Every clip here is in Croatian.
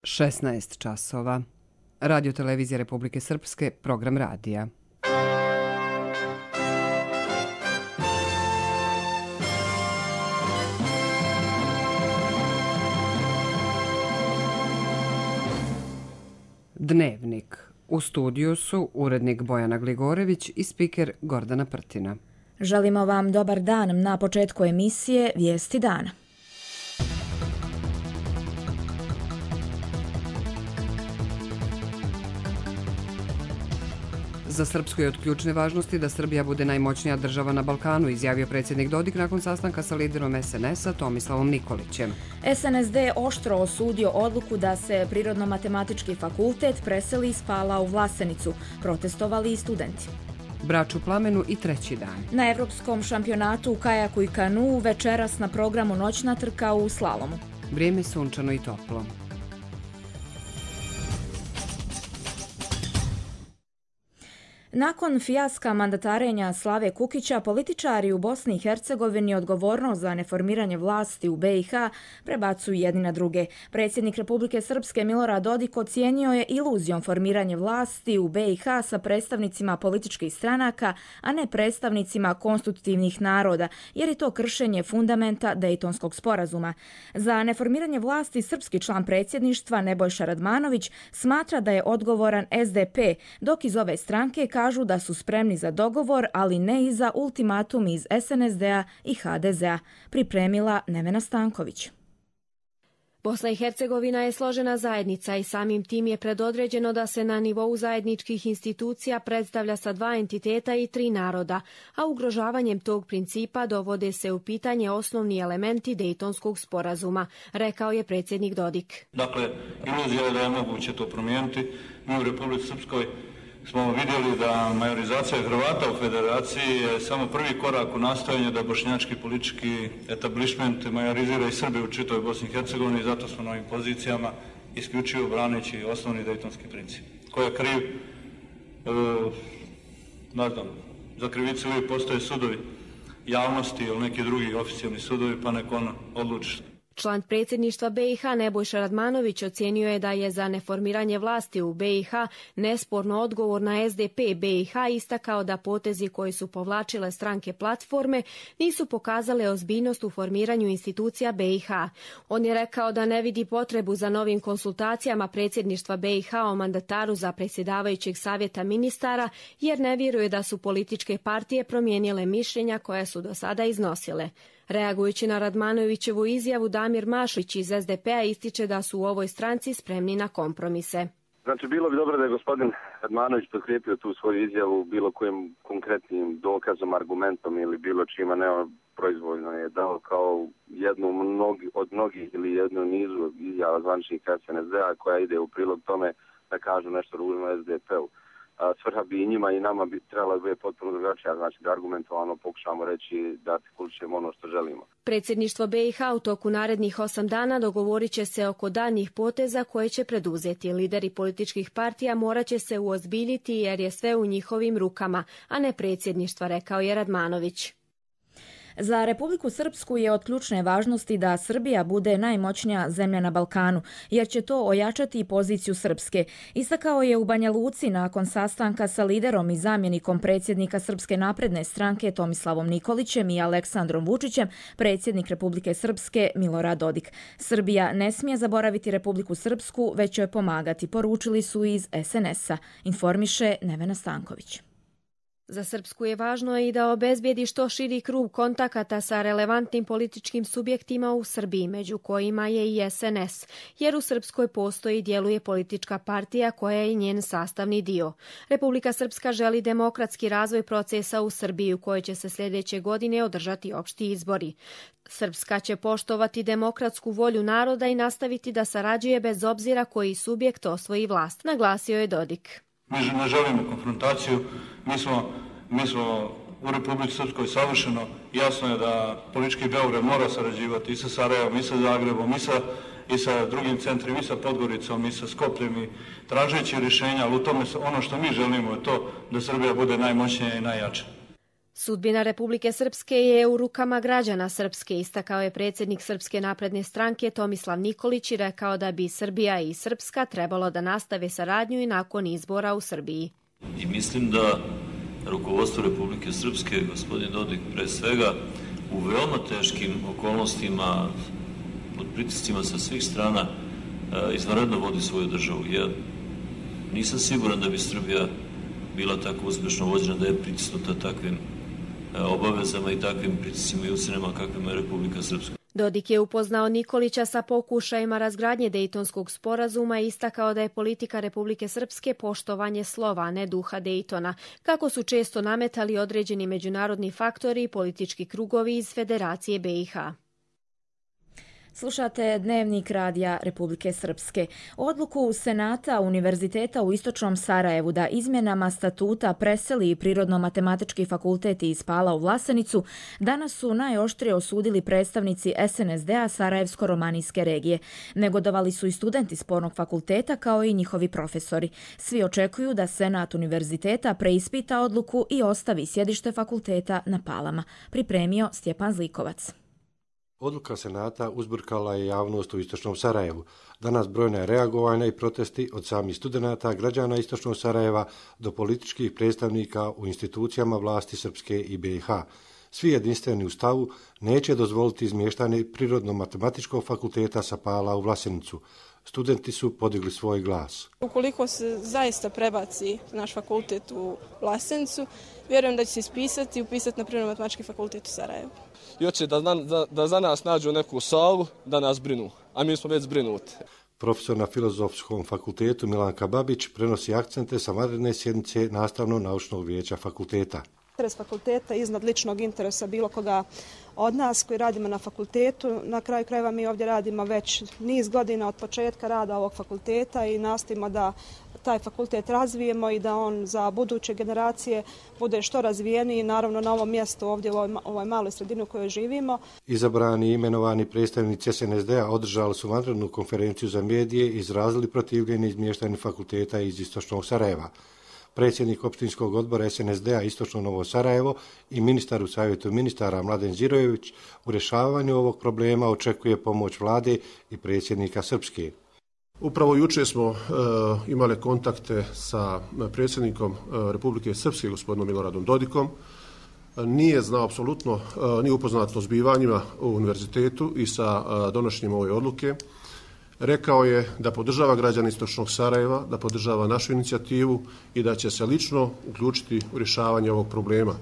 16 časova. Radio Televizija Republike Srpske, program radija. Dnevnik. U studiju su urednik Bojana Gligorević i spiker Gordana Prtina. Želimo vam dobar dan na početku emisije Vijesti dana. Za Srpsku je od ključne važnosti da Srbija bude najmoćnija država na Balkanu, izjavio predsjednik Dodik nakon sastanka sa liderom SNS-a Tomislavom Nikolićem. SNSD oštro osudio odluku da se Prirodno-matematički fakultet preseli iz Pala u Vlasenicu. Protestovali i studenti. Brač u plamenu i treći dan. Na Evropskom šampionatu u kajaku i kanu večeras na programu noćna trka u slalomu. Vrijeme sunčano i toplo. Nakon fijaska mandatarenja Slave Kukića, političari u Bosni i Hercegovini odgovornost za neformiranje vlasti u BiH prebacuju jedni na druge. Predsjednik Republike Srpske Milorad Dodik ocijenio je iluzijom formiranje vlasti u BiH sa predstavnicima političkih stranaka, a ne predstavnicima konstitutivnih naroda, jer je to kršenje fundamenta Dejtonskog sporazuma. Za neformiranje vlasti srpski član predsjedništva Nebojša Radmanović smatra da je odgovoran SDP, dok iz ove stranke kažu da su spremni za dogovor, ali ne i za ultimatum iz SNSD-a i HDZ-a, pripremila Nevena Stanković. Bosna i Hercegovina je složena zajednica i samim tim je predodređeno da se na nivou zajedničkih institucija predstavlja sa dva entiteta i tri naroda, a ugrožavanjem tog principa dovode se u pitanje osnovni elementi Dejtonskog sporazuma, rekao je predsjednik Dodik. Dakle, iluzija je da je moguće to promijeniti. Mi u Republici Srpskoj smo vidjeli da majorizacija Hrvata u federaciji je samo prvi korak u nastojanju da bošnjački politički etablišment majorizira i Srbe u čitavoj Bosni i Hercegovini i zato smo na ovim pozicijama isključivo braneći osnovni dejtonski princip. Ko je kriv? Za krivicu uvijek postoje sudovi javnosti ili neki drugi oficijalni sudovi, pa nek on odluči. Član predsjedništva BiH Nebojša Radmanović ocijenio je da je za neformiranje vlasti u BiH nesporno odgovor na SDP BiH, istakao da potezi koji su povlačile stranke platforme nisu pokazale ozbiljnost u formiranju institucija BiH. On je rekao da ne vidi potrebu za novim konsultacijama predsjedništva BiH o mandataru za predsjedavajućeg savjeta ministara, jer ne vjeruje da su političke partije promijenile mišljenja koja su do sada iznosile. Reagujući na Radmanovićevu izjavu, Damir Mašlić iz SDP-a ističe da su u ovoj stranci spremni na kompromise. Znači, bilo bi dobro da je gospodin Radmanović potkrijepio tu svoju izjavu bilo kojim konkretnim dokazom, argumentom ili bilo čima, ne proizvoljno je dao kao jednu od mnogih ili jednu nizu izjava zvaničnika SNSD-a koja ide u prilog tome da kažu nešto ružno SDP-u. Svrha bi i njima i nama bi trebala biti potpuno drugačija, znači da argumentovano pokušamo reći da artikulišemo ono što želimo. Predsjedništvo BiH u toku narednih 8 dana dogovorit će se oko daljnjih poteza koje će preduzeti. Lideri političkih partija morat će se uozbiljiti jer je sve u njihovim rukama, a ne predsjedništva, rekao je Radmanović. Za Republiku Srpsku je od ključne važnosti da Srbija bude najmoćnija zemlja na Balkanu, jer će to ojačati poziciju Srpske. Istakao je u Banja Luci nakon sastanka sa liderom i zamjenikom predsjednika Srpske napredne stranke Tomislavom Nikolićem i Aleksandrom Vučićem, predsjednik Republike Srpske Milorad Dodik. Srbija ne smije zaboraviti Republiku Srpsku, već joj pomagati, poručili su iz SNS-a, informiše Nevena Stanković. Za Srpsku je važno i da obezbijedi što širi krug kontakata sa relevantnim političkim subjektima u Srbiji, među kojima je i SNS, jer u Srpskoj postoji i djeluje politička partija koja je njen sastavni dio. Republika Srpska želi demokratski razvoj procesa u Srbiji u kojoj će se sljedeće godine održati opšti izbori. Srpska će poštovati demokratsku volju naroda i nastaviti da sarađuje bez obzira koji subjekt osvoji vlast, naglasio je Dodik. Mi ne želimo konfrontaciju, mi smo u Republici Srpskoj savršeno, jasno je da politički Beograd mora sarađivati i sa Sarajevom, i sa Zagrebom, i sa drugim centrima, i sa Podgoricom, i sa Skopljem, i tražeći rješenja, ali u tome ono što mi želimo je to da Srbija bude najmoćnija i najjača. Sudbina Republike Srpske je u rukama građana Srpske, istakao je predsjednik Srpske napredne stranke Tomislav Nikolić i rekao da bi Srbija i Srpska trebalo da nastave saradnju i nakon izbora u Srbiji. I mislim da rukovodstvo Republike Srpske, gospodin Dodik pre svega, u veoma teškim okolnostima, pod pritiscima sa svih strana, izvanredno vodi svoju državu. Ja nisam siguran da bi Srbija bila tako uspješno vođena, da je pritisnuta takvim obavezama i takvim pritiscima i ucenama kakvima je Republika Srpska. Dodik je upoznao Nikolića sa pokušajima razgradnje Dejtonskog sporazuma i istakao da je politika Republike Srpske poštovanje slova, a ne duha Dejtona, kako su često nametali određeni međunarodni faktori i politički krugovi iz Federacije BiH. Slušate Dnevnik radija Republike Srpske. Odluku Senata Univerziteta u Istočnom Sarajevu da izmjenama statuta preseli Prirodno-matematički fakultet iz Pala u Vlasenicu danas su najoštrije osudili predstavnici SNSD-a Sarajevsko-romanijske regije. Negodovali su i studenti spornog fakulteta kao i njihovi profesori. Svi očekuju da Senat Univerziteta preispita odluku i ostavi sjedište fakulteta na Palama. Pripremio Stjepan Zlikovac. Odluka Senata uzburkala je javnost u Istočnom Sarajevu. Danas brojna je reagovanja i protesti od samih studenata, građana Istočnog Sarajeva do političkih predstavnika u institucijama vlasti Srpske i BiH. Svi jedinstveni u stavu neće dozvoliti izmještanje Prirodno-matematičkog fakulteta sa Pala u Vlasenicu. Studenti su podigli svoj glas. Ukoliko se zaista prebaci naš fakultet u Vlasenicu, vjerujem da će se ispisati i upisati na Prirodno-matematički fakultet u Sarajevu. I hoće da za nas nađu neku salu, da nas brinu, a mi smo već zbrinuti. Profesor na Filozofskom fakultetu Milanka Babić prenosi akcente sa vanredne sjednice Nastavno-naučnog vijeća fakulteta. Interes fakulteta iznad ličnog interesa bilo koga od nas koji radimo na fakultetu. Na kraju krajeva mi ovdje radimo već niz godina od početka rada ovog fakulteta i nastojimo da taj fakultet razvijemo i da on za buduće generacije bude što razvijeniji, naravno na ovom mjestu ovdje u ovoj maloj sredini u kojoj živimo. Izabrani i imenovani predstavnici SNSD-a održali su vanrednu konferenciju za medije i izrazili protivljenje izmještanju fakulteta iz Istočnog Sarajeva. Predsjednik opštinskog odbora SNSD-a Istočno Novo Sarajevo i ministar u savjetu ministara Mladen Zirojević u rješavanju ovog problema očekuje pomoć vlade i predsjednika Srpske. Upravo jučer smo imali kontakte sa predsjednikom Republike Srpske, gospodinom Miloradom Dodikom. Nije znao apsolutno, nije upoznat o zbivanjima u univerzitetu i sa donošenjem ove odluke. Rekao je da podržava građane Istočnog Sarajeva, da podržava našu inicijativu i da će se lično uključiti u rješavanje ovog problema.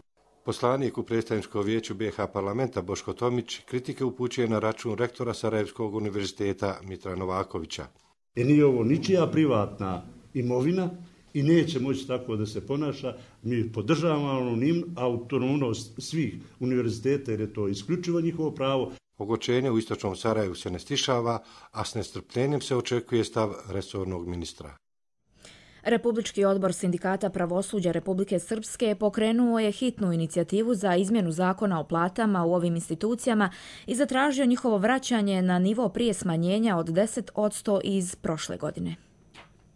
Poslanik u predstavničkom vijeću BiH parlamenta Boško Tomić kritike upućuje na račun rektora Sarajevskog univerziteta Mitra Novakovića. Nije ovo ničija privatna imovina i neće moći tako da se ponaša. Mi podržavamo autonomnost svih univerziteta jer je to isključivo njihovo pravo. Ogorčenje u Istočnom Sarajevu se ne stišava, a s nestrpljenjem se očekuje stav resornog ministra. Republički odbor Sindikata pravosuđa Republike Srpske pokrenuo je hitnu inicijativu za izmjenu zakona o platama u ovim institucijama i zatražio njihovo vraćanje na nivo prije smanjenja od 10% iz prošle godine.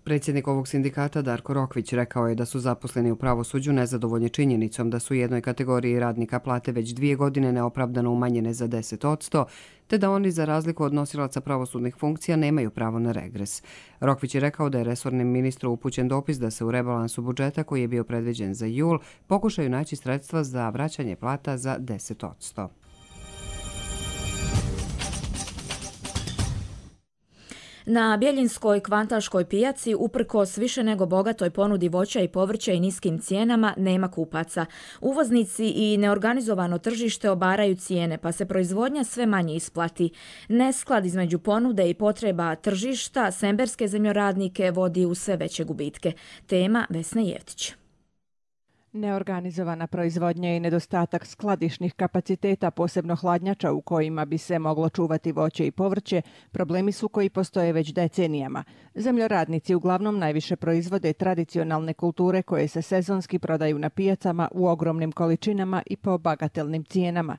Predsjednik ovog sindikata Darko Rokvić rekao je da su zaposleni u pravosuđu nezadovoljni činjenicom da su u jednoj kategoriji radnika plate već 2 godine neopravdano umanjene za 10%, te da oni za razliku od nosilaca pravosudnih funkcija nemaju pravo na regres. Rokvić je rekao da je resornim ministru upućen dopis da se u rebalansu budžeta koji je bio predviđen za jul pokušaju naći sredstva za vraćanje plata za 10%. Na Bjeljinskoj kvantaškoj pijaci, uprkos više nego bogatoj ponudi voća i povrća i niskim cijenama, nema kupaca. Uvoznici i neorganizovano tržište obaraju cijene, pa se proizvodnja sve manje isplati. Nesklad između ponude i potreba tržišta semberske zemljoradnike vodi u sve veće gubitke. Tema Vesne Jevtić. Neorganizovana proizvodnja i nedostatak skladišnih kapaciteta, posebno hladnjača u kojima bi se moglo čuvati voće i povrće, problemi su koji postoje već decenijama. Zemljoradnici uglavnom najviše proizvode tradicionalne kulture koje se sezonski prodaju na pijacama u ogromnim količinama i po bagatelnim cijenama.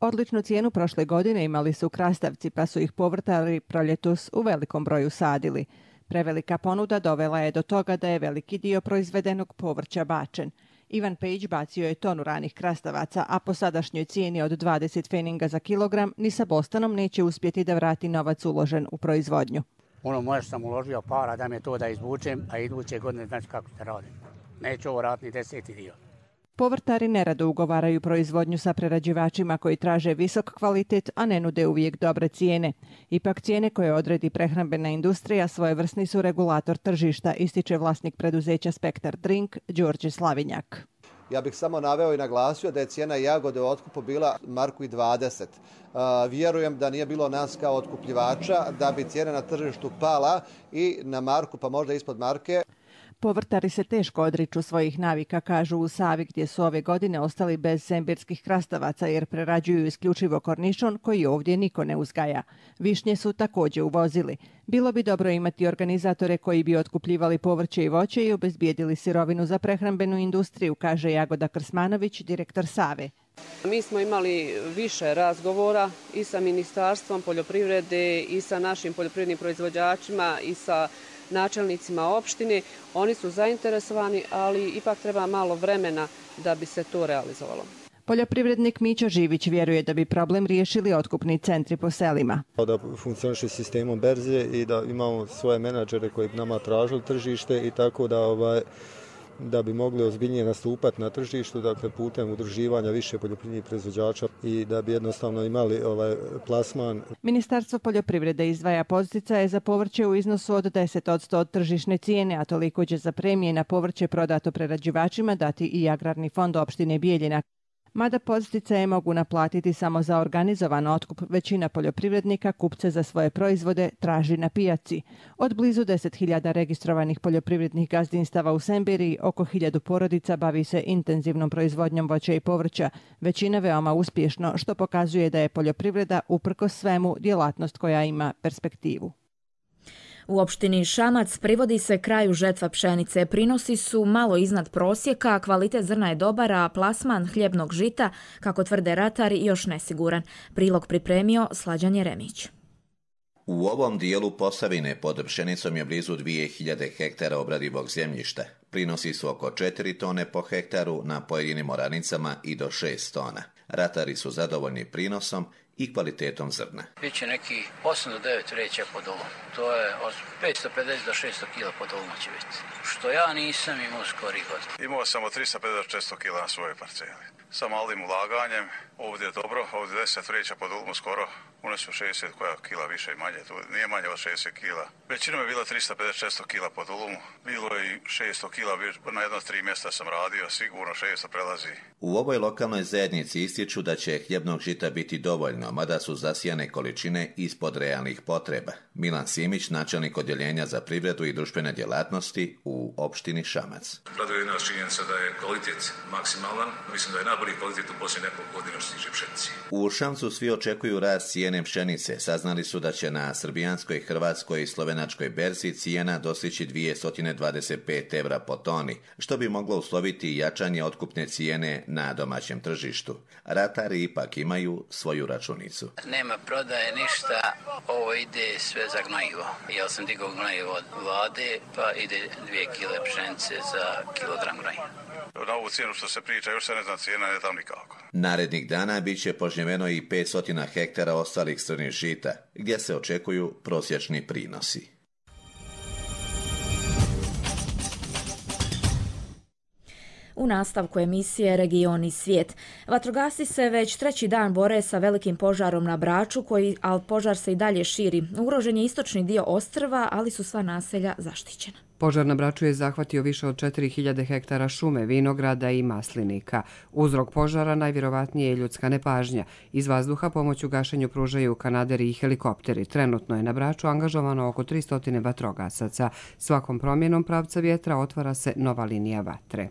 Odličnu cijenu prošle godine imali su krastavci, pa su ih povrtari proljetos u velikom broju sadili. Prevelika ponuda dovela je do toga da je veliki dio proizvedenog povrća bačen. Ivan Pejić bacio je tonu ranih krastavaca, a po sadašnjoj cijeni od 20 pfeninga za kilogram ni sa Bostanom neće uspjeti da vrati novac uložen u proizvodnju. Možda sam uložio para da me to da izvučem, a iduće godine znači kako se radi. Neću ovo raditi ni 10. dio. Povrtari nerado ugovaraju proizvodnju sa prerađivačima koji traže visok kvalitet, a ne nude uvijek dobre cijene. Ipak cijene koje odredi prehrambena industrija svojevrsni su regulator tržišta, ističe vlasnik preduzeća Spektar Drink, Đorđe Slavinjak. Ja bih samo naveo i naglasio da je cijena jagode u otkupu bila 1,20 marku. Vjerujem da nije bilo nas kao otkupljivača, da bi cijena na tržištu pala i na marku, pa možda ispod marke. Povrtari se teško odriču svojih navika, kažu u Savi, gdje su ove godine ostali bez sembirskih krastavaca jer prerađuju isključivo kornišon koji ovdje niko ne uzgaja. Višnje su također uvozili. Bilo bi dobro imati organizatore koji bi otkupljivali povrće i voće i obezbijedili sirovinu za prehrambenu industriju, kaže Jagoda Krsmanović, direktor Save. Mi smo imali više razgovora i sa Ministarstvom poljoprivrede i sa našim poljoprivrednim proizvođačima i sa načelnicima opštine. Oni su zainteresovani, ali ipak treba malo vremena da bi se to realizovalo. Poljoprivrednik Mićo Živić vjeruje da bi problem riješili otkupni centri po selima. Da funkcioniše sistemom berze i da imamo svoje menadžere koji bi nama tražili tržište i tako da bi mogli ozbiljnije nastupati na tržištu, dakle putem udruživanja više poljoprivrednih proizvođača i da bi jednostavno imali plasman. Ministarstvo poljoprivrede izdvaja podsticaje za povrće u iznosu od 10% od tržišne cijene, a toliko će za premije na povrće prodato prerađivačima dati i Agrarni fond opštine Bijeljina. Mada podsticaje mogu naplatiti samo za organizovan otkup, većina poljoprivrednika kupce za svoje proizvode traži na pijaci. Od blizu 10.000 registrovanih poljoprivrednih gazdinstava u Sembiriji, oko 1000 porodica bavi se intenzivnom proizvodnjom voća i povrća, većina veoma uspješno, što pokazuje da je poljoprivreda uprkos svemu djelatnost koja ima perspektivu. U opštini Šamac privodi se kraju žetva pšenice. Prinosi su malo iznad prosjeka, kvalitet zrna je dobar, a plasman hljebnog žita, kako tvrde ratari, još nesiguran. Prilog pripremio Slađan Jeremić. U ovom dijelu Posavine pod pšenicom je blizu 2000 hektara obradivog zemljišta. Prinosi su oko 4 tone po hektaru, na pojedinim oranicama i do 6 tona. Ratari su zadovoljni prinosom i kvalitetom zrna. Biće neki 8 do 9 vreća po dolu. To je od 550 do 600 kila po dolu će biti. Što ja nisam imao skori god. Imao sam od 350 do 400 kila na svojoj parceli. Sa malim ulaganjem, ovdje je dobro, ovdje 10 vreća po dolu skoro. One su 60 koja kila više i manje, tu nije manje od 60 kila. Većinom je bila 350-600 kila po dolumu, bilo je i 600 kila, na jedno 3 mjesta sam radio, sigurno 600 prelazi. U ovoj lokalnoj zajednici ističu da će hljebnog žita biti dovoljno, mada su zasijane količine ispod realnih potreba. Milan Simić, načelnik odjeljenja za privredu i društvene djelatnosti u opštini Šamac. Raduje nas činjenica da je kvalitet maksimalan, mislim da je najbolji kvalitet u posljednjih nekoliko godina što se tiče pšenice. U Šamcu svi očekuju rast cijene pšenice. Saznali su da će na srbijanskoj, hrvatskoj i slovenačkoj berzi cijena dostići 225 evra po toni, što bi moglo usloviti jačanje otkupne cijene na domaćem tržištu. Ratari ipak imaju svoju računicu. Nema prodaje ništa, ovo ide sve za gnojivo. Ja sam digao gnojivo od vlade, pa ide 2 kile pšenice za kilogram gnojiva. Na ovu cijenu što se priča, još se ne zna cijena, ne tam nikako. Narednih dana bit će požnjeveno i 500 hektara ostalih crnih žita, gdje se očekuju prosječni prinosi. U nastavku emisije Region i svijet. Vatrogasci se već 3. dan bore sa velikim požarom na Braču, ali požar se i dalje širi. Ugrožen je istočni dio ostrva, ali su sva naselja zaštićena. Požar na Braču je zahvatio više od 4000 hektara šume, vinograda i maslinika. Uzrok požara najvjerovatnije je ljudska nepažnja. Iz vazduha pomoć u gašenju pružaju kanaderi i helikopteri. Trenutno je na Braču angažovano oko 300 vatrogasaca. Svakom promjenom pravca vjetra otvara se nova linija vatre.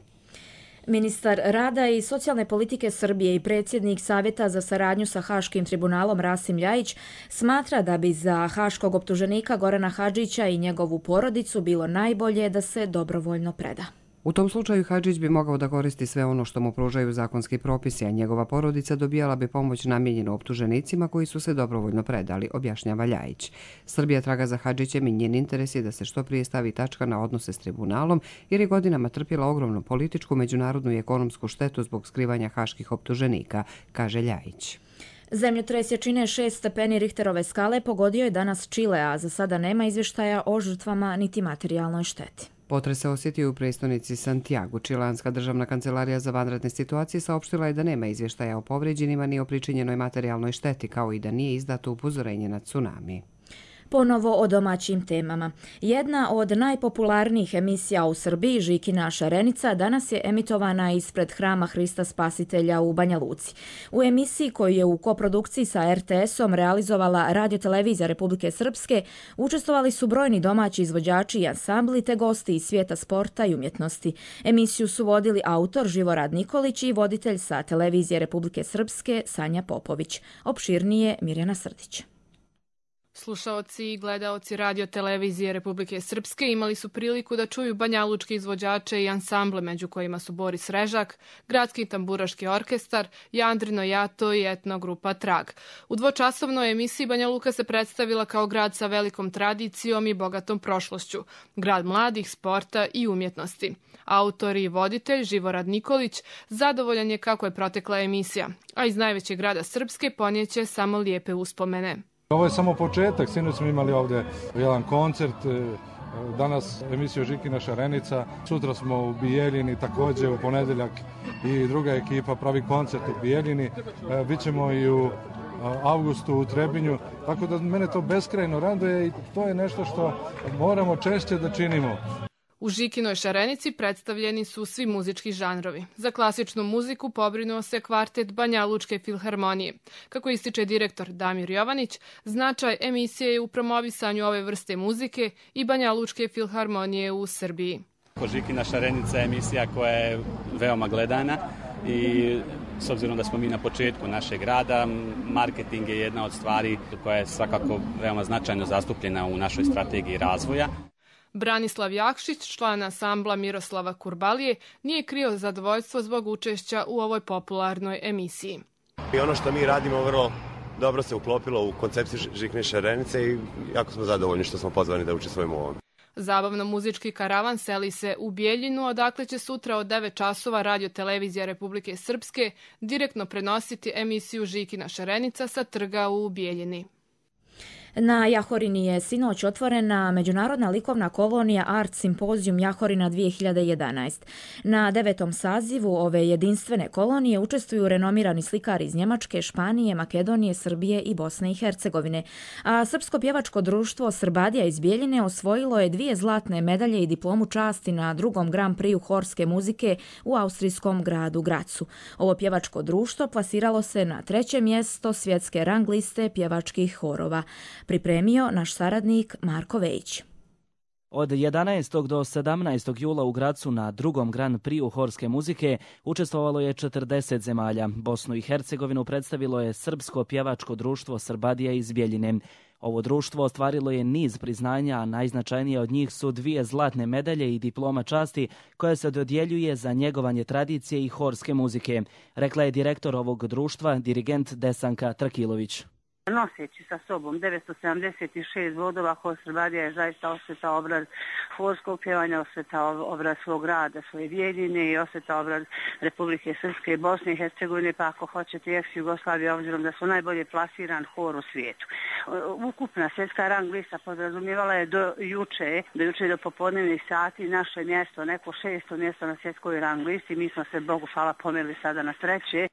Ministar rada i socijalne politike Srbije i predsjednik Savjeta za saradnju sa Haškim tribunalom Rasim Ljajić smatra da bi za haškog optuženika Gorana Hadžića i njegovu porodicu bilo najbolje da se dobrovoljno preda. U tom slučaju Hadžić bi mogao da koristi sve ono što mu pružaju zakonski propisi, a njegova porodica dobijala bi pomoć namijenjenu optuženicima koji su se dobrovoljno predali, objašnjava Ljajić. Srbija traga za Hadžićem i njen interes je da se što prije stavi tačka na odnose s tribunalom, jer je godinama trpjela ogromnu političku, međunarodnu i ekonomsku štetu zbog skrivanja haških optuženika, kaže Ljajić. Zemljotres jačine 6 stepeni Richterove skale pogodio je danas Čile, a za sada nema izvještaja o žrtvama niti materijalnoj šteti. Potres se osjetio u prestonici Santiago. Čileanska državna kancelarija za vanredne situacije saopštila je da nema izvještaja o povrijeđenima ni o pričinjenoj materijalnoj šteti, kao i da nije izdato upozorenje na tsunami. Ponovo o domaćim temama. Jedna od najpopularnijih emisija u Srbiji, Žikina šarenica, danas je emitovana ispred Hrama Hrista Spasitelja u Banja Luci. U emisiji koju je u koprodukciji sa RTS-om realizovala Radiotelevizija Republike Srpske učestvovali su brojni domaći izvođači i ansambli te gosti iz svijeta sporta i umjetnosti. Emisiju su vodili autor Živorad Nikolić i voditelj sa Televizije Republike Srpske Sanja Popović. Opširnije Mirjana Srdić. Slušaoci i gledaoci Radiotelevizije Republike Srpske imali su priliku da čuju banjalučke izvođače i ansamble, među kojima su Boris Režak, Gradski tamburaški orkestar, Jandrino Jato i etnogrupa Trag. U dvočasovnoj emisiji Banja Luka se predstavila kao grad sa velikom tradicijom i bogatom prošlošću, grad mladih, sporta i umjetnosti. Autor i voditelj Živorad Nikolić zadovoljan je kako je protekla emisija, a iz najvećeg grada Srpske ponijeće samo lijepe uspomene. Ovo je samo početak, sinoć smo imali ovdje jedan koncert, danas emisiju Žikina šarenica, sutra smo u Bijeljini, također u ponedjeljak i druga ekipa pravi koncert u Bijeljini, bićemo i u avgustu u Trebinju, tako da mene to beskrajno raduje i to je nešto što moramo češće da činimo. U Žikinoj šarenici predstavljeni su svi muzički žanrovi. Za klasičnu muziku pobrinuo se kvartet Banjalučke filharmonije. Kako ističe direktor Damir Jovanić, značaj emisije je u promovisanju ove vrste muzike i Banjalučke filharmonije u Srbiji. Žikina šarenica je emisija koja je veoma gledana i s obzirom da smo mi na početku našeg rada, marketing je jedna od stvari koja je svakako veoma značajno zastupljena u našoj strategiji razvoja. Branislav Jakšić, član ansambla Miroslava Kurbalije, nije krio zadovoljstvo zbog učešća u ovoj popularnoj emisiji. I ono što mi radimo vrlo dobro se uklopilo u koncepciju Žikine šarenice i jako smo zadovoljni što smo pozvani da učestvujemo u ovom. Zabavno-muzički karavan seli se u Bijeljinu, odakle će sutra od 9 časova Radiotelevizija Republike Srpske direktno prenositi emisiju Žikina šarenica sa trga u Bijeljini. Na Jahorini je sinoć otvorena međunarodna likovna kolonija Art Simpozijum Jahorina 2011. Na 9. sazivu ove jedinstvene kolonije učestvuju renomirani slikari iz Njemačke, Španije, Makedonije, Srbije i Bosne i Hercegovine. A Srpsko pjevačko društvo Srbadija iz Bijeljine osvojilo je 2 zlatne medalje i diplomu časti na 2. Grand Prixu horske muzike u austrijskom gradu Gracu. Ovo pjevačko društvo plasiralo se na 3. mjesto svjetske rang liste pjevačkih horova. Pripremio naš saradnik Marko Vejić. Od 11. do 17. jula u Gracu na 2. Grand Prixu horske muzike učestvovalo je 40 zemalja. Bosnu i Hercegovinu predstavilo je Srpsko pjevačko društvo Srbadija iz Bijeljine. Ovo društvo ostvarilo je niz priznanja, a najznačajnije od njih su 2 zlatne medalje i diploma časti koja se dodjeljuje za njegovanje tradicije i horske muzike, rekla je direktor ovog društva, dirigent Desanka Trakilović. Noseći sa sobom 976 bodova, Hor Srbadija je zaista osveta obraz horskog pjevanja, osveta obraz svog rada, svoje Bijeljine i osveta obraz Republike Srpske i Bosne i Hercegovine, pa ako hoćete ex-Jugoslavije, obzirom da su najbolje plasiran hor u svijetu. Ukupna svjetska rang lista podrazumijevala je do juče do popodnevnih sati naše mjesto, neko 6. mjesto na svjetskoj rang listi. Mi smo se, Bogu hvala, pomeli sada na 3.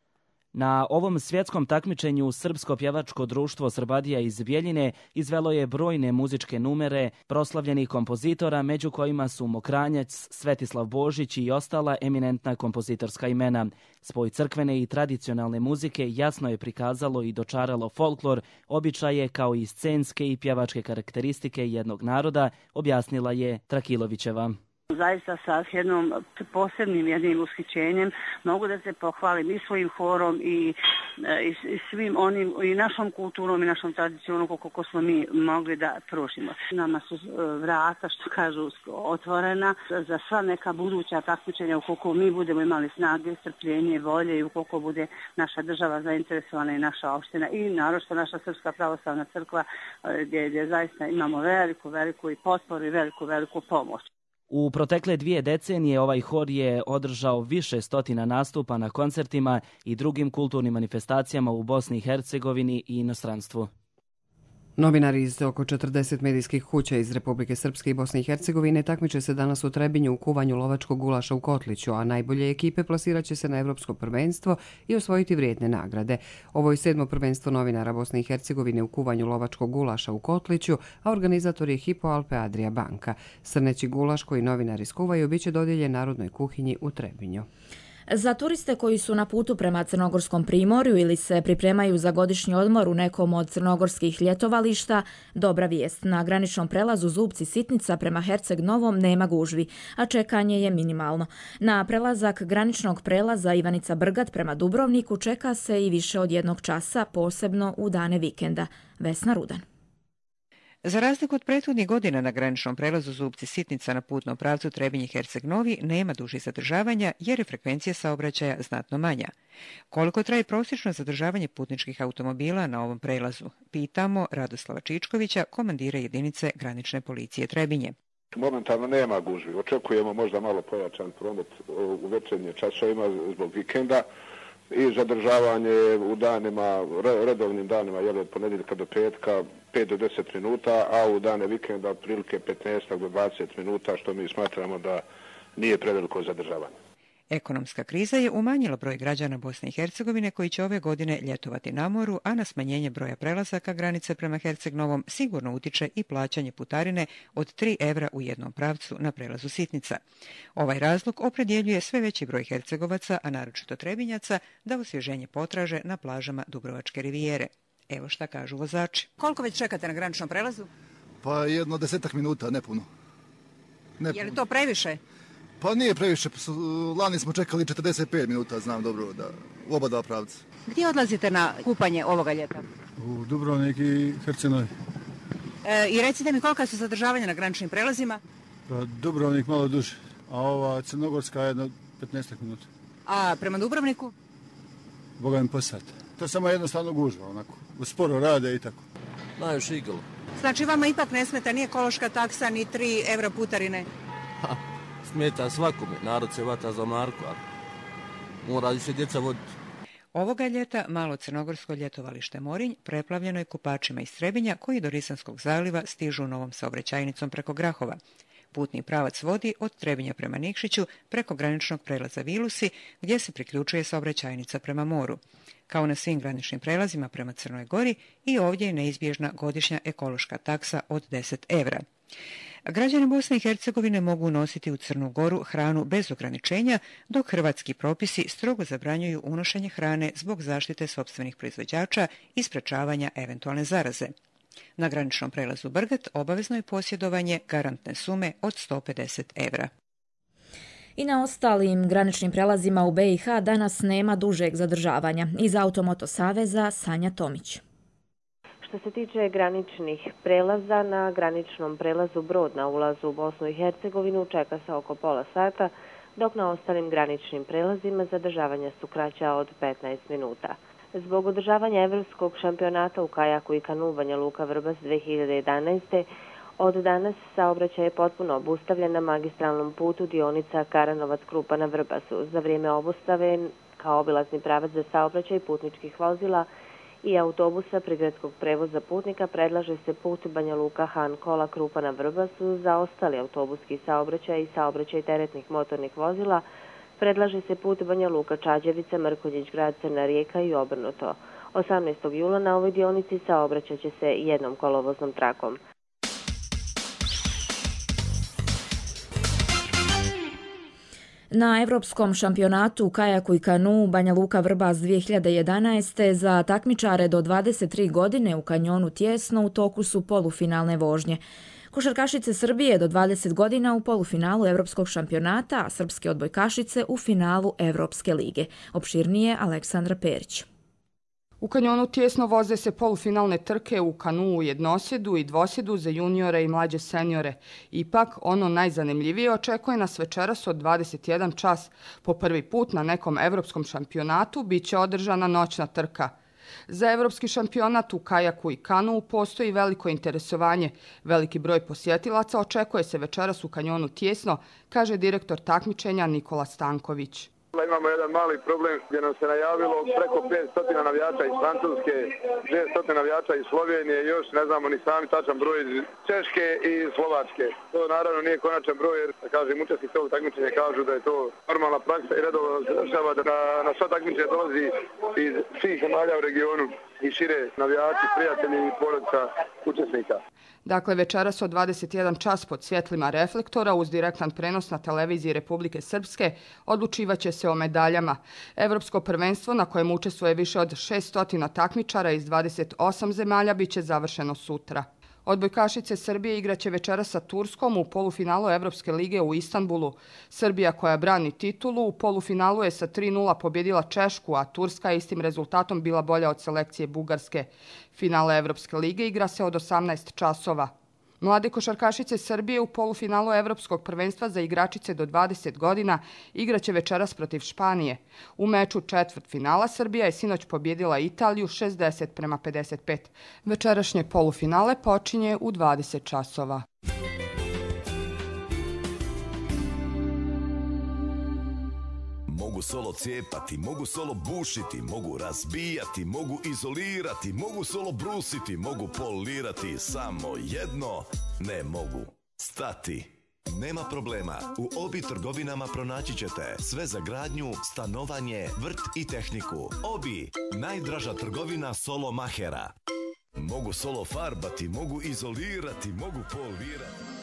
Na ovom svjetskom takmičenju Srpsko pjevačko društvo Srbadija iz Bijeljine izvelo je brojne muzičke numere proslavljenih kompozitora, među kojima su Mokranjac, Svetislav Božić i ostala eminentna kompozitorska imena. Spoj crkvene i tradicionalne muzike jasno je prikazalo i dočaralo folklor, običaje kao i scenske i pjevačke karakteristike jednog naroda, objasnila je Trakilovićeva. zaista sa jednom posebnim jednim ushićenjem. Mogu da se pohvalim i svojim horom i svim onim, i našom kulturom i našom tradicijom koliko smo mi mogli da pružimo. Nama su vrata, što kažu, otvorena za sva neka buduća takmičenja ukoliko mi budemo imali snage, strpljenje, volje i ukoliko bude naša država zainteresovana i naša opština i naročito naša Srpska pravoslavna crkva gdje zaista imamo veliku i potporu i veliku pomoć. U protekle 2 decenije ovaj hor je održao više stotina nastupa na koncertima i drugim kulturnim manifestacijama u Bosni i Hercegovini i inostranstvu. Novinari iz oko 40 medijskih kuća iz Republike Srpske i Bosne i Hercegovine takmiče se danas u Trebinju u kuvanju lovačkog gulaša u Kotliću, a najbolje ekipe plasirat će se na Evropsko prvenstvo i osvojiti vrijedne nagrade. Ovo je 7. prvenstvo novinara Bosne i Hercegovine u kuvanju lovačkog gulaša u Kotliću, a organizator je Hypo Alpe Adria banka. Srneći gulaš koji novinari skuvaju biće dodijeljen Narodnoj kuhinji u Trebinju. Za turiste koji su na putu prema Crnogorskom primorju ili se pripremaju za godišnji odmor u nekom od crnogorskih ljetovališta, dobra vijest. Na graničnom prelazu Zubci-Sitnica prema Herceg Novom nema gužvi, a čekanje je minimalno. Na prelazak graničnog prelaza Ivanica Brgat prema Dubrovniku čeka se i više od 1 časa, posebno u dane vikenda. Vesna Rudan. Za razliku od prethodnih godina na graničnom prelazu Zubci-Sitnica na putnom pravcu Trebinje-Herceg Novi nema dužih zadržavanja jer je frekvencija saobraćaja znatno manja. Koliko traje prosječno zadržavanje putničkih automobila na ovom prelazu? Pitamo Radoslava Čičkovića, komandira jedinice granične policije Trebinje. Momentalno nema gužvi. Očekujemo možda malo pojačan promet u večernje časovima zbog vikenda i zadržavanje u danima, redovnim danima, od ponedjeljka do petka, 5 do 10 minuta, a u dane vikenda otprilike 15 do 20 minuta, što mi smatramo da nije preveliko zadržavanje. Ekonomska kriza je umanjila broj građana Bosne i Hercegovine koji će ove godine ljetovati na moru, a na smanjenje broja prelazaka granice prema Herceg Novom sigurno utiče i plaćanje putarine od 3 evra u jednom pravcu na prelazu Sitnica. Ovaj razlog opredjeljuje sve veći broj Hercegovaca, a naročito Trebinjaca, da osvježenje potraže na plažama Dubrovačke rivijere. Evo šta kažu vozači. Koliko već čekate na graničnom prelazu? Pa 10 minuta, ne puno. Je li to previše? Pa nije previše, lani smo čekali 45 minuta, znam dobro, u oba dva pravca. Gdje odlazite na kupanje ovoga ljeta? U Dubrovnik i Herceg Novi. I recite mi kolika su zadržavanja na graničnim prelazima? Pa Dubrovnik malo duže, a ova Crnogorska jedno 15 minuta. A prema Dubrovniku? Boga mi po sat. To je samo jednostavno gužva, onako. Sporo rade i tako. Najviše iglo. Znači vama ipak ne smeta ni ekološka taksa, ni 3 evra putarine? Smeta svakome, narod se vata za Marko, ali mora se djeca voditi. Ovoga ljeta malo crnogorsko ljetovalište Morinj preplavljeno je kupačima iz Trebinja koji do Risanskog zaliva stižu novom saobraćajnicom preko Grahova. Putni pravac vodi od Trebinja prema Nikšiću preko graničnog prelaza Vilusi gdje se priključuje saobraćajnica prema moru. Kao na svim graničnim prelazima prema Crnoj Gori i ovdje je neizbježna godišnja ekološka taksa od 10 evra. Građani Bosne i Hercegovine mogu unositi u Crnu Goru hranu bez ograničenja, dok hrvatski propisi strogo zabranjuju unošenje hrane zbog zaštite sopstvenih proizvođača i sprečavanja eventualne zaraze. Na graničnom prelazu Brgat obavezno je posjedovanje garantne sume od 150 evra. I na ostalim graničnim prelazima u BiH danas nema dužeg zadržavanja. Iz Automoto Saveza Sanja Tomić. Što se tiče graničnih prelaza, na graničnom prelazu Brod na ulazu u Bosnu i Hercegovinu čeka se oko pola sata, dok na ostalim graničnim prelazima zadržavanja su kraća od 15 minuta. Zbog održavanja Evropskog šampionata u kajaku i kanu Banja Luka Vrbas 2011. od danas saobraćaj je potpuno obustavljen na magistralnom putu dionica Karanovac-Krupa na Vrbasu. Za vrijeme obustave kao obilazni pravac za saobraćaj putničkih vozila i autobusa prigradskog prevoza putnika predlaže se put Banja Luka-Han Kola Krupa na Vrbasu. Za ostali autobuski saobraćaj i saobraćaj teretnih motornih vozila predlaže se put Banja Luka Čađevica, Mrkonjić grad, Crna Rijeka i obrnuto. 18. jula na ovoj dionici saobraćat će se jednom kolovoznom trakom. Na Evropskom šampionatu u kajaku i kanu Banja Luka Vrbas 2011. za takmičare do 23 godine u kanjonu Tjesno u toku su polufinalne vožnje. Košarkašice Srbije do 20 godina u polufinalu Evropskog šampionata, a srpske odbojkašice u finalu Evropske lige. Opširnije Aleksandra Perić. U kanjonu tjesno voze se polufinalne trke u kanuu jednosjedu i dvosjedu za juniore i mlađe seniore. Ipak, ono najzanimljivije očekuje nas večeras od 21 čas. Po prvi put na nekom evropskom šampionatu biće održana noćna trka. Za evropski šampionat u kajaku i kanuu postoji veliko interesovanje. Veliki broj posjetilaca očekuje se večeras u kanjonu tjesno, kaže direktor takmičenja Nikola Stanković. Imamo jedan mali problem gdje nam se najavilo preko 500 navijača iz Francuske, 200 navijača iz Slovenije i još ne znamo ni sami tačan broj iz Češke i Slovačke. To naravno nije konačan broj jer, kažem, učesnici ovog takmičenja kažu da je to normalna praksa i redovno završava da na sva takmičenja dolazi iz svih zemalja u regionu i šire navijači, prijatelji i porodica učesnika. Dakle, večeras od 21 čas pod svjetlima reflektora uz direktan prenos na televiziji Republike Srpske odlučivaće se o medaljama. Evropsko prvenstvo na kojem učestvuje više od 600 takmičara iz 28 zemalja biće završeno sutra. Odbojkašice Srbije igraće večeras sa Turskom u polufinalu Evropske lige u Istanbulu. Srbija koja brani titulu u polufinalu je sa 3:0 pobjedila Češku, a Turska je istim rezultatom bila bolja od selekcije Bugarske. Finale Evropske lige igra se od 18 časova. Mlade košarkašice Srbije u polufinalu Evropskog prvenstva za igračice do 20 godina igraće večeras protiv Španije. U meču četvrtfinala Srbija je sinoć pobjedila Italiju 60-55. Večerašnje polufinale počinje u 20 časova. Mogu solo cijepati, mogu solo bušiti, mogu razbijati, mogu izolirati, mogu solo brusiti, mogu polirati, samo jedno ne mogu. Stati. Nema problema, u Obi trgovinama pronaći ćete sve za gradnju, stanovanje, vrt i tehniku. Obi, najdraža trgovina solo mahera. Mogu solo farbati, mogu izolirati, mogu polirati.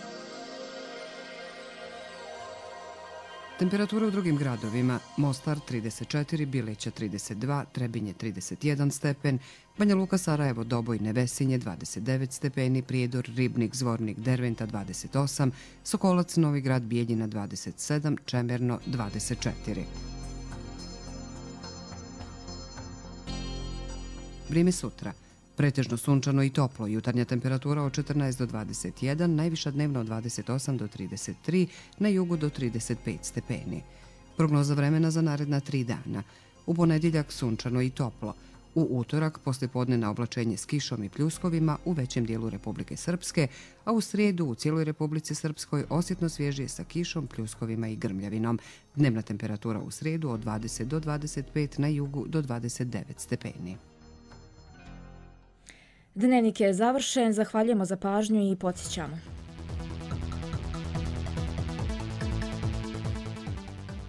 Temperatura u drugim gradovima: Mostar 34, Bileća 32, Trebinje 31 stepen, Banja Luka, Sarajevo, Doboj, Nevesinje 29 stepeni, Prijedor, Ribnik, Zvornik, Derventa 28, Sokolac, Novi Grad, Bijeljina 27, Čemerno 24. Vrijeme sutra. Pretežno sunčano i toplo, jutarnja temperatura od 14 do 21, najviša dnevno od 28 do 33, na jugu do 35 stepeni. Prognoza vremena za naredna 3 dana. U ponedjeljak sunčano i toplo. U utorak poslijepodnevno oblačenje s kišom i pljuskovima u većem dijelu Republike Srpske, a u srijedu u cijeloj Republici Srpskoj osjetno svježije sa kišom, pljuskovima i grmljavinom. Dnevna temperatura u srijedu od 20 do 25, na jugu do 29 stepeni. Dnevnik je završen, zahvaljujemo za pažnju i podsjećamo.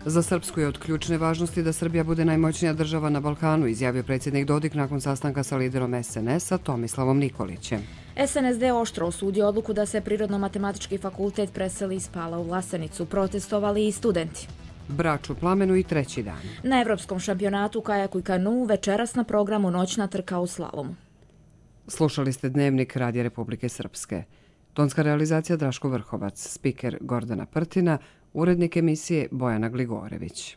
Za Srpsku je od ključne važnosti da Srbija bude najmoćnija država na Balkanu, izjavio predsjednik Dodik nakon sastanka sa liderom SNS-a Tomislavom Nikolićem. SNSD oštro osudio odluku da se Prirodno-matematički fakultet preseli iz Pala u Vlasenicu. Protestovali i studenti. Brač u plamenu i treći dan. Na Evropskom šampionatu kajaku i kanuu večeras na programu noćna trka u slalomu. Slušali ste Dnevnik Radija Republike Srpske. Tonska realizacija Draško Vrhovac, spiker Gordana Prtina, urednik emisije Bojana Gligorević.